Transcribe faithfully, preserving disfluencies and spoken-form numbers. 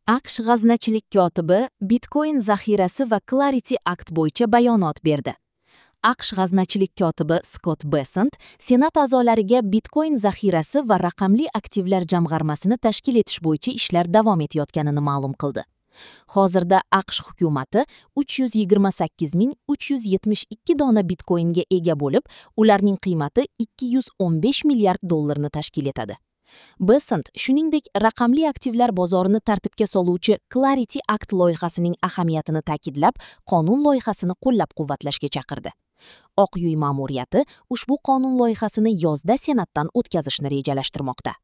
A Q Sh g'aznachilik kotibi Bitcoin zaxirasi va Clarity Act bo'yicha bayonot berdi. A Q Sh g'aznachilik kotibi Skott Bessent Senat a'zolariga Bitcoin zaxirasi va raqamli aktivlar jamg'armasini tashkil etish bo'yicha ishlar davom etayotganini ma'lum qildi. Hozirda A Q Sh hukumati uch yuz yigirma sakkiz ming uch yuz yetmish ikki dona bitcoinga ega bo'lib, ularning qiymati ikki yuz o'n besh milliard dollarni tashkil etadi. Bessent shuningdek raqamli aktivlar bozorini tartibga soluvchi Clarity Act loyihasining ahamiyatini ta'kidlab, qonun loyihasini qo'llab-quvvatlashga chaqirdi. Oq uy ma'muriyati ushbu qonun loyihasini yozda Senatdan o'tkazishni rejalashtirmoqda.